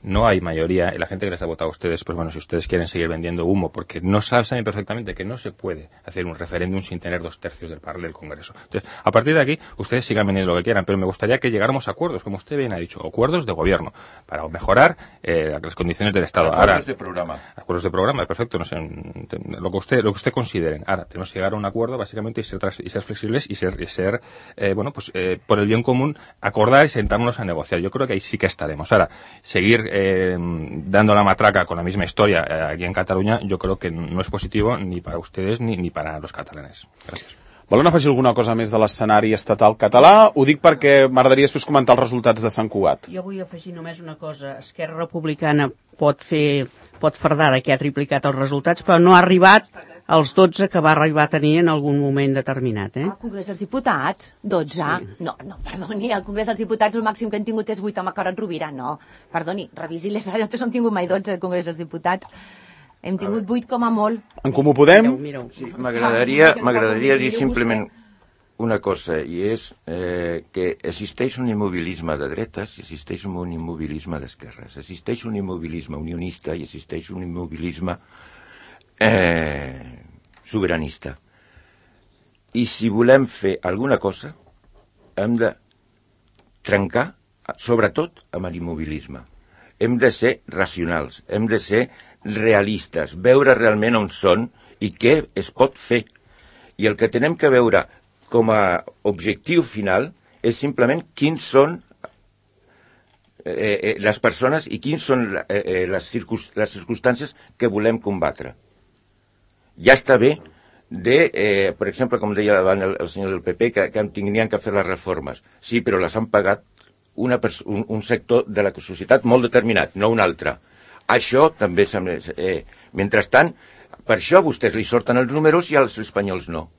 S4: no hay mayoría. La gente que les ha votado a ustedes, pues bueno, si ustedes quieren seguir vendiendo humo, porque no saben perfectamente que no se puede hacer un referéndum sin tener dos tercios del par del Congreso. Entonces, a partir de aquí, ustedes sigan vendiendo lo que quieran, pero me gustaría que llegáramos a acuerdos, como usted bien ha dicho, acuerdos de gobierno, para mejorar eh, las condiciones del Estado.
S5: Acuerdos
S4: Ahora,
S5: de programa.
S4: Acuerdos de programa, perfecto, no sé, lo que usted, lo que usted considere. Ahora, tenemos que llegar a un acuerdo, básicamente, y ser, y ser flexibles y ser, y ser eh, bueno, pues eh, por el bien común, acordar y sentarnos a negociar. Yo creo que ahí sí que estaremos. Ahora, seguir eh, dando la matraca con la misma historia eh, aquí en Cataluña, yo creo que no es positivo ni para ustedes ni, ni para los catalanes. Gracias.
S2: Volen afegir alguna cosa més de l'escenari estatal català? Ho dic perquè m'agradaria després comentar els resultats de Sant Cugat.
S8: Jo vull afegir només una cosa. Esquerra Republicana pot fer, pot fardar de que ha triplicat els resultats, però no ha arribat als dotze que va arribar a tenir en algun moment determinat. Eh?
S6: Al Congrés dels Diputats, dotze? Sí. No, no, perdoni, al Congrés dels Diputats el màxim que hem tingut és vuit amb Carod Rovira, no. Perdoni, revisi les dades, no hem tingut mai dotze al Congrés dels Diputats. Hem tingut vuit com a molt.
S2: En Comú Podem?
S5: Sí, m'agradaria m'agradaria dir simplement una cosa, i és eh, que existeix un immobilisme de dretes i existeix un immobilisme d'esquerres. Existeix un immobilisme unionista i existeix un immobilisme eh, sobiranista. I si volem fer alguna cosa, hem de trencar, sobretot, amb l'immobilisme. Hem de ser racionals, hem de ser realistes, veure realment on són i què es pot fer. I el que tenem que veure com a objectiu final és simplement quins són eh, eh, les persones i quins són eh, les, circunst les circumstàncies que volem combatre. Ja està bé de, eh, per exemple, com deia el, el senyor del P P, que, que tenien que fer les reformes. Sí, però les han pagat una un, un sector de la societat molt determinat, no un altre. Això també sembla... Eh, mentrestant, per això a vostès li sorten els números i als espanyols no.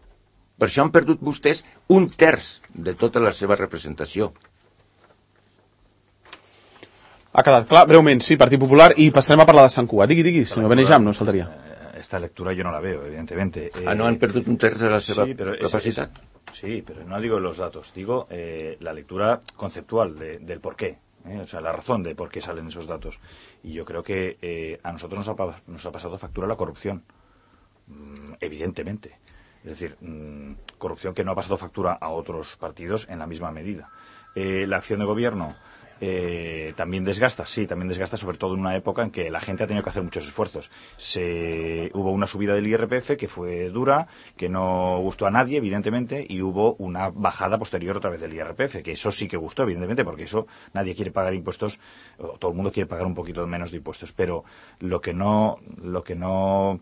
S5: Per això han perdut vostès un terç de tota la seva representació.
S2: Ha quedat clar, breument, sí, Partit Popular, i passarem a parlar de Sant Cugat. Digui, digui, senyor Benejam, no saltaria.
S7: Esta lectura yo no la veo, evidentemente. Eh,
S5: ah, ¿no han perdido un tercio de la seva
S7: sí, pero
S5: capacidad?
S7: Es, es, sí, pero no digo los datos, digo eh, la lectura conceptual de, del por qué. ¿eh? O sea, la razón de por qué salen esos datos. Y yo creo que eh, a nosotros nos ha, nos ha pasado factura la corrupción, mm, evidentemente. Es decir, mmm, corrupción que no ha pasado factura a otros partidos en la misma medida. Eh, la acción de gobierno eh, también desgasta, sí, también desgasta, sobre todo en una época en que la gente ha tenido que hacer muchos esfuerzos. Se, hubo una subida del I R P F que fue dura, que no gustó a nadie, evidentemente, y hubo una bajada posterior otra vez del I R P F, que eso sí que gustó, evidentemente, porque eso nadie quiere pagar impuestos, o todo el mundo quiere pagar un poquito menos de impuestos, pero lo que no, lo que no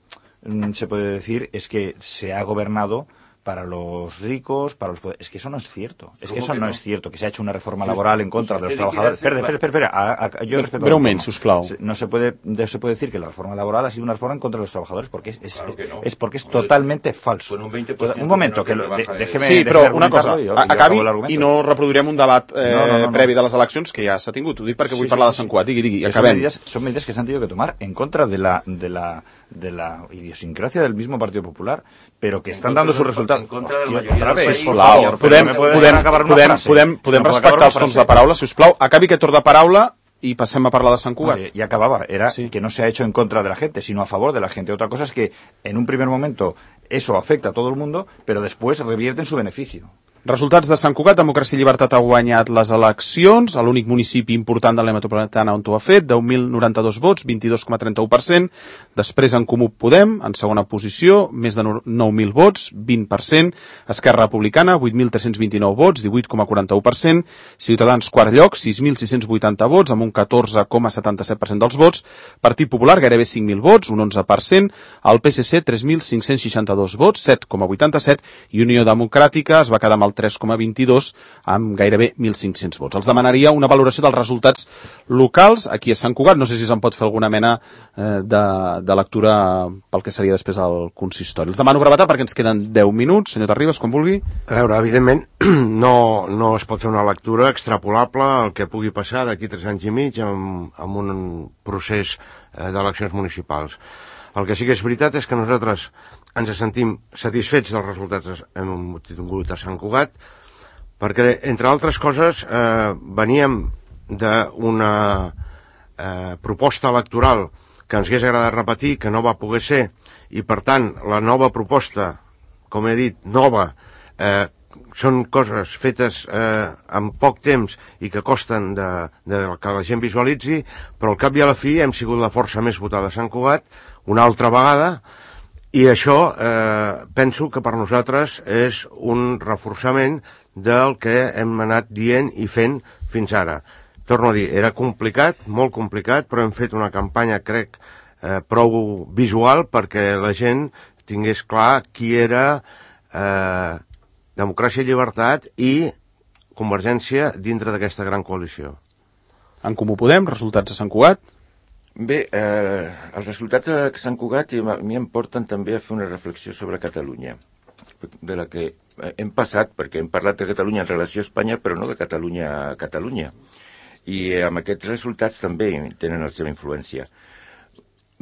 S7: se puede decir es que se ha gobernado para los ricos, para los... Es que eso no es cierto. Es que eso que no? no es cierto, que se ha hecho una reforma laboral en contra de los trabajadores. Espera, espera, espera, espera. Yo respeto...
S2: Breument, sisplau.
S7: No se puede, no se puede decir que la reforma laboral ha sido una reforma en contra de los trabajadores, porque es, es, claro que no. es porque es totalmente falso.
S5: Un, veinte por ciento
S7: un momento, que lo, de, déjeme...
S2: Sí, però una cosa,
S7: jo,
S2: acabi i no reproduirem un debat eh,
S7: no, no, no,
S2: previ
S7: no.
S2: de les eleccions que ja s'ha tingut. Ho dic perquè
S7: sí,
S2: vull
S7: sí,
S2: parlar
S7: sí,
S2: de Sant Cugat. Digui, digui,
S7: son
S2: acabem.
S7: medidas, son medidas que se han tenido que tomar en contra de la, de la, de la idiosincrasia del mismo Partido Popular, pero que están dando sus resultados.
S5: En contra de la
S7: Hòstia,
S5: mayoría
S7: otra vez.
S2: Sisplau, podem, podem, podem, podem, podem respectar els temps de paraula, sisplau. Acabi aquest torn de paraula y pasem a parlar de Sant Cugat.
S7: No, y acababa, era
S2: sí.
S7: que no se ha hecho en contra de la gente, sino a favor de la gente. Otra cosa es que en un primer momento eso afecta a todo el mundo, pero después revierte en su beneficio.
S2: Resultats de Sant Cugat. Democràcia i Llibertat ha guanyat les eleccions, a l'únic municipi important de la metropolitana on ho ha fet, deu mil noranta-dos vots, vint-i-dos coma trenta-u per cent. Després en Comú Podem, en segona posició, més de nou mil vots, vint per cent. Esquerra Republicana, vuit mil tres-cents vint-i-nou vots, divuit coma quaranta-u per cent. Ciutadans, quart lloc, sis mil sis-cents vuitanta vots, amb un catorze coma setanta-set per cent dels vots. Partit Popular, gairebé cinc mil vots, un onze per cent. El P S C, tres mil cinc-cents seixanta-dos vots, set coma vuitanta-set. I Unió Democràtica es va quedar amb el tres coma vint-i-dos, amb gairebé mil cinc-cents vots. Els demanaria una valoració dels resultats locals aquí a Sant Cugat. No sé si se'n pot fer alguna mena eh, de, de lectura pel que seria després el consistori. Els demano brevetat perquè ens queden deu minuts. Senyor Terribas, quan vulgui.
S3: A veure, evidentment, no, no es pot fer una lectura extrapolable al que pugui passar d'aquí tres anys i mig amb, amb un procés eh, d'eleccions municipals. El que sí que és veritat és que nosaltres ens sentim satisfets dels resultats en un tingut a Sant Cugat, perquè, entre altres coses, eh, veníem d'una eh, proposta electoral que ens hagués agradat repetir, que no va poder ser, i per tant, la nova proposta, com he dit, nova, eh, són coses fetes eh, en poc temps i que costen de, de que la gent visualitzi, però al cap i a la fi hem sigut la força més votada a Sant Cugat, una altra vegada, i això eh, penso que per nosaltres és un reforçament del que hem anat dient i fent fins ara. Torno a dir, era complicat, molt complicat, però hem fet una campanya, crec, eh, prou visual perquè la gent tingués clar qui era eh, Democràcia i Llibertat i Convergència dintre d'aquesta gran coalició.
S2: En Comú Podem, resultats a Sant Cugat.
S5: Bé, eh, els resultats de Sant Cugat a mi em porten també a fer una reflexió sobre Catalunya, de la que hem passat, perquè hem parlat de Catalunya en relació a Espanya, però no de Catalunya a Catalunya. I eh, amb aquests resultats també tenen la seva influència.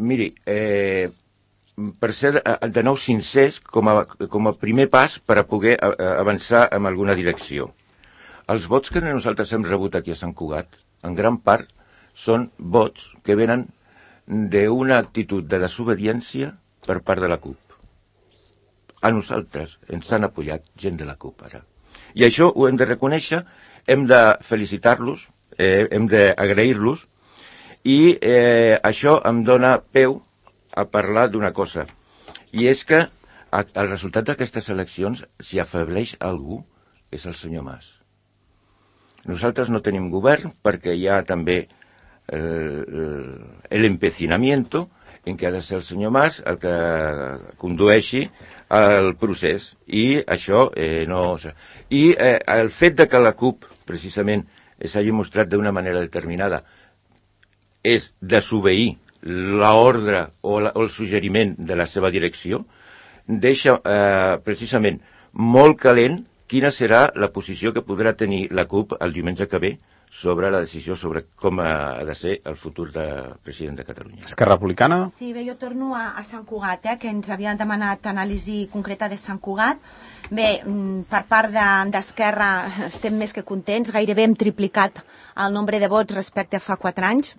S5: Miri, eh, per ser de nou sincers, com a, com a primer pas per a poder avançar en alguna direcció. Els vots que nosaltres hem rebut aquí a Sant Cugat, en gran part, són vots que venen d'una actitud de desobediència per part de la CUP. A nosaltres ens han apoyat gent de la CUP ara. I això ho hem de reconèixer, hem de felicitar-los, eh, hem d'agrair-los, i eh, això em dona peu a parlar d'una cosa, i és que el resultat d'aquestes eleccions, si afebleix algú, és el senyor Mas. Nosaltres no tenim govern perquè hi ha també el, el empecinamiento en que ha de ser el senyor Mas el que condueixi el procés, i això eh, no... I eh, el fet de que la CUP, precisament, s'hagi mostrat d'una manera determinada, és desobeir l'ordre o, la, o el suggeriment de la seva direcció, deixa eh, precisament molt calent quina serà la posició que podrà tenir la CUP el diumenge que ve sobre la decisió sobre com ha de ser el futur de president de Catalunya.
S2: Esquerra Republicana?
S6: Sí, bé, jo torno a, a Sant Cugat, eh, que ens havien demanat anàlisi concreta de Sant Cugat. Bé, per part d'Esquerra de, estem més que contents, gairebé hem triplicat el nombre de vots respecte a fa quatre anys,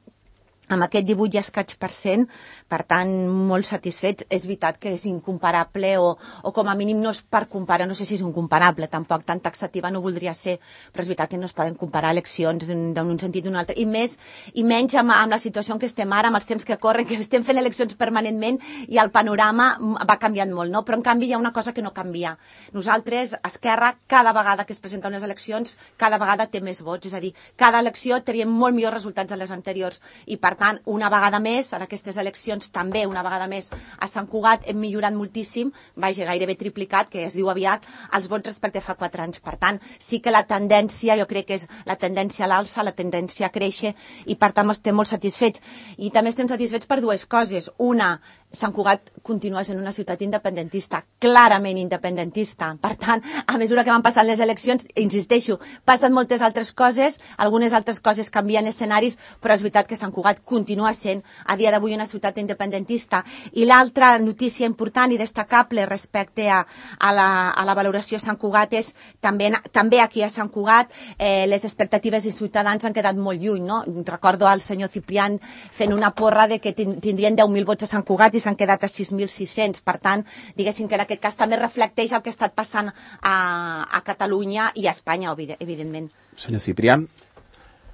S6: amb aquest divuit i escaig per cent, per tant, molt satisfets. És veritat que és incomparable, o, o com a mínim no és per comparar, no sé si és incomparable, tampoc tan taxativa no voldria ser, però és veritat que no es poden comparar eleccions d'un sentit d'un altre, i més i menys amb, amb la situació en què estem ara, amb els temps que corren, que estem fent eleccions permanentment, i el panorama va canviant molt, no? Però en canvi hi ha una cosa que no canvia. Nosaltres, Esquerra, cada vegada que es presenten unes eleccions, cada vegada té més vots, és a dir, cada elecció teníem molt millors resultats de les anteriors, i per tant, una vegada més, en aquestes eleccions també, una vegada més, a Sant Cugat hem millorat moltíssim, vaja, gairebé triplicat, que es diu aviat, els vots respecte a fa quatre anys. Per tant, sí que la tendència, jo crec que és la tendència a l'alça, la tendència a créixer, i per tant estem molt satisfets. I també estem satisfets per dues coses. Una, Sant Cugat continua sent una ciutat independentista, clarament independentista. Per tant, a mesura que van passant les eleccions, insisteixo, passen moltes altres coses, algunes altres coses canvien escenaris, però és veritat que Sant Cugat continua sent a dia d'avui una ciutat independentista. I l'altra notícia important i destacable respecte a, a, la, a la valoració a Sant Cugat és també, també aquí a Sant Cugat eh, les expectatives de Ciutadans han quedat molt lluny, no? Recordo al senyor Ciprián fent una porra de que tindrien deu mil vots a Sant Cugat, i i s'han quedat a sis mil sis-cents. Per tant, diguéssim que en aquest cas també reflecteix el que ha estat passant a, a Catalunya i a Espanya, evidentment.
S2: Senyor Ciprián.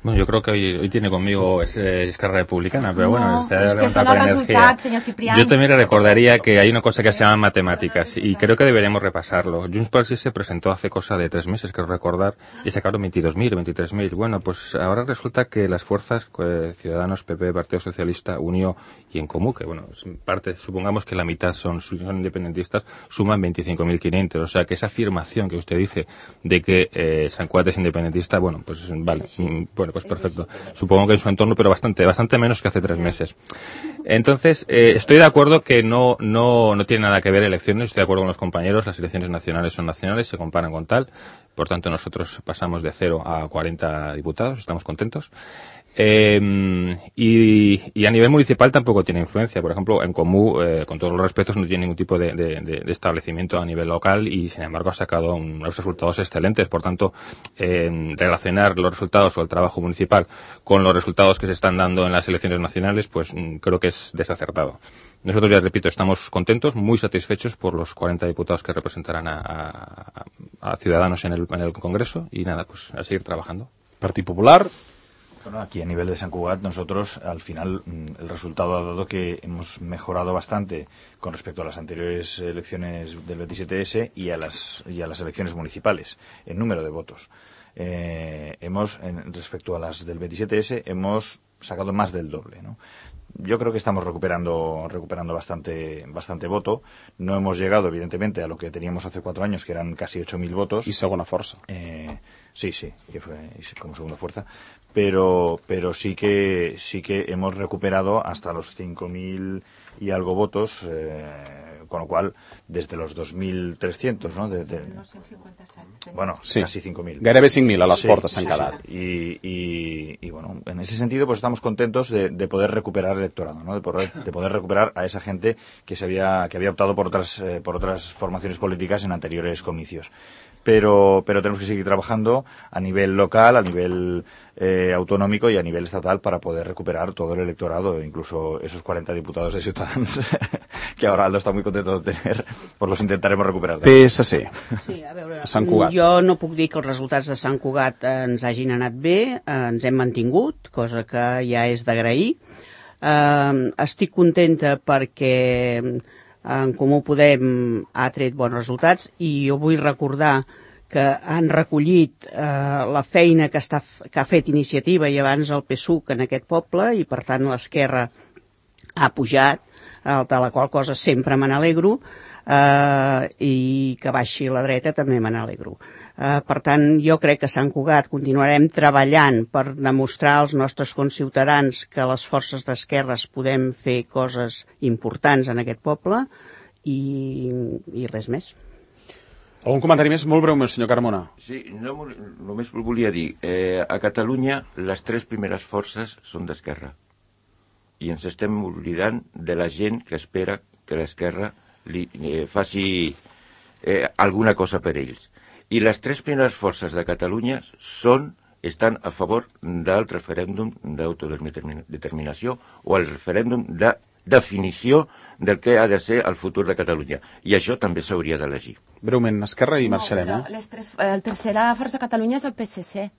S4: Bueno, yo creo que hoy, hoy tiene conmigo es, es Esquerra Republicana, pero
S6: no,
S4: bueno, se ha
S6: es que son
S4: levantado
S6: los
S4: con energía.
S6: resultados, señor Ciprián.
S4: Yo también le recordaría que hay una cosa que se llama matemáticas y creo que deberíamos repasarlo. Junts pel Sí se presentó hace cosa de tres meses, creo recordar, y sacaron veintidós mil, veintitrés mil. Bueno, pues ahora resulta que las fuerzas, eh, Ciudadanos, P P, Partido Socialista, Unió y En Comú, que bueno, parte, supongamos que la mitad son, son independentistas, suman veinticinco mil quinientos. O sea que esa afirmación que usted dice de que eh, Sant Cugat es independentista, bueno, pues vale, sí. Bueno, pues perfecto. Supongo que en su entorno, pero bastante, bastante menos que hace tres meses. Entonces, eh, estoy de acuerdo que no, no, no tiene nada que ver elecciones, estoy de acuerdo con los compañeros, las elecciones nacionales son nacionales, se comparan con tal, por tanto nosotros pasamos de cero a cuarenta diputados, estamos contentos. Eh, y, y a nivel municipal tampoco tiene influencia. Por ejemplo, En Comú, eh, con todos los respetos, no tiene ningún tipo de, de, de establecimiento a nivel local y, sin embargo, ha sacado unos resultados excelentes. Por tanto, eh, relacionar los resultados o el trabajo municipal con los resultados que se están dando en las elecciones nacionales, pues creo que es desacertado. Nosotros, ya repito, estamos contentos, muy satisfechos por los cuarenta diputados que representarán a, a, a Ciudadanos en el, en el Congreso y nada, pues a seguir trabajando.
S2: Partido Popular.
S7: Bueno, aquí a nivel de Sant Cugat nosotros al final el resultado ha dado que hemos mejorado bastante con respecto a las anteriores elecciones del veintisiete ese y a las y a las elecciones municipales en número de votos. Eh, hemos en, respecto a las del veintisiete ese hemos sacado más del doble, ¿no? Yo creo que estamos recuperando recuperando bastante bastante voto. No hemos llegado, evidentemente, a lo que teníamos hace cuatro años, que eran casi ocho mil votos.
S2: Y segunda fuerza.
S7: Eh, sí, sí, que fue como segunda fuerza. Pero pero sí que sí que hemos recuperado hasta los cinco mil y algo votos, eh, con lo cual, desde los dos mil trescientos, ¿no? De, de, bueno,
S2: sí.
S7: Casi cinco mil.
S2: Gairebé cinc mil a les
S7: sí,
S2: portes s'han
S7: sí,
S2: quedat.
S7: Sí. Y, y, y bueno, en ese sentido pues estamos contentos de, de poder recuperar el electorado, ¿no? De poder, de poder recuperar a esa gente que se había que había optado por otras eh, por otras formaciones políticas en anteriores comicios. Pero, pero tenemos que seguir trabajando a nivel local, a nivel eh, autonómico y a nivel estatal para poder recuperar todo el electorado, incluso esos cuarenta diputados de Ciutadans que ahora Aldo està muy contento de tener, pues los intentaremos recuperar.
S2: P S C.
S8: Sí, a veure,
S2: a Sant Cugat.
S8: Jo no puc dir que els resultats de Sant Cugat ens hagin anat bé, ens hem mantingut, cosa que ja és d'agrair. Eh, estic contenta perquè En Comú Podem ha tret bons resultats i jo vull recordar que han recollit eh, la feina que, està, que ha fet Iniciativa i abans el P SUC en aquest poble i per tant l'Esquerra ha pujat, eh, de la qual cosa sempre me n'alegro, eh, i que baixi la dreta també me n'alegro. Uh, per tant, jo crec que a Sant Cugat continuarem treballant per demostrar als nostres conciutadans que les forces d'esquerres podem fer coses importants en aquest poble i, i res més.
S2: Algun comentari més? Molt breument, senyor Carmona.
S5: Sí, no, només volia dir, eh, a Catalunya les tres primeres forces són d'esquerra i ens estem oblidant de la gent que espera que l'esquerra li eh, faci eh, alguna cosa per ells. I les tres primeres forces de Catalunya són, estan a favor del referèndum d'autodeterminació o el referèndum de definició del que ha de ser el futur de Catalunya. I això també s'hauria d'elegir.
S2: Breument, Esquerra i
S6: no,
S2: marxarem.
S6: No, les tres, la tercera força de Catalunya és el P S C.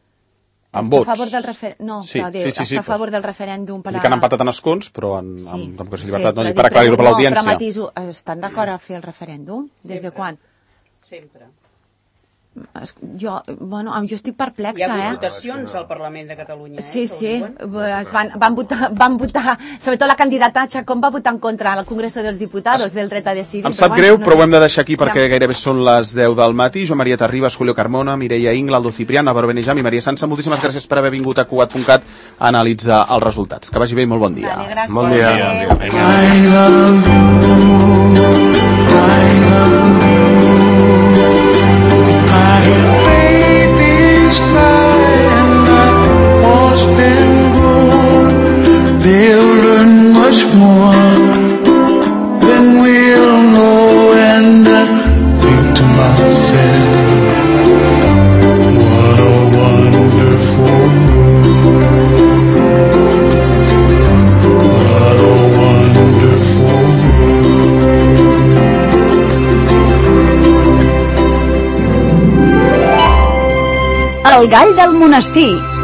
S2: Amb vots?
S6: A favor del refer... No,
S2: sí,
S6: però diu,
S2: sí, sí, sí,
S6: està a favor del referèndum. Per
S2: a... que han empatat en escons, però en,
S6: sí,
S2: amb democràcia i
S6: sí,
S2: llibertat, no,
S6: sí,
S2: per aclarir-ho per l'audiència.
S6: No, però matiso, estan d'acord a fer el referèndum? Des de quan?
S8: Sempre.
S6: Jo, bueno, jo estic perplexa, eh?
S8: Hi ha votacions al Parlament de Catalunya, eh?
S6: Sí, sí, es van, van, votar, van votar, sobretot la candidata Chacón va votar en contra al Congreso dels Diputados del dret a decidir.
S2: Em sap
S6: però,
S2: greu,
S6: bueno, no
S2: però
S6: sé.
S2: ho hem de deixar aquí perquè gairebé són les deu del matí. Jo, Maria Terribas, Julio Carmona, Mireia Ingla, Aldo Ciprián, Álvaro Benejam i Maria Sansa, moltíssimes gràcies per haver vingut a Cugat punt cat a analitzar els resultats. Que vagi bé i molt bon dia.
S6: Vale, gràcies.
S3: Bon dia.
S6: Adéu.
S9: I love you, I love you, I babies cry and I was been good. They'll learn much more than we'll know, and I think to myself, what a wonderful world, what a wonderful world.
S1: El gall del monestir.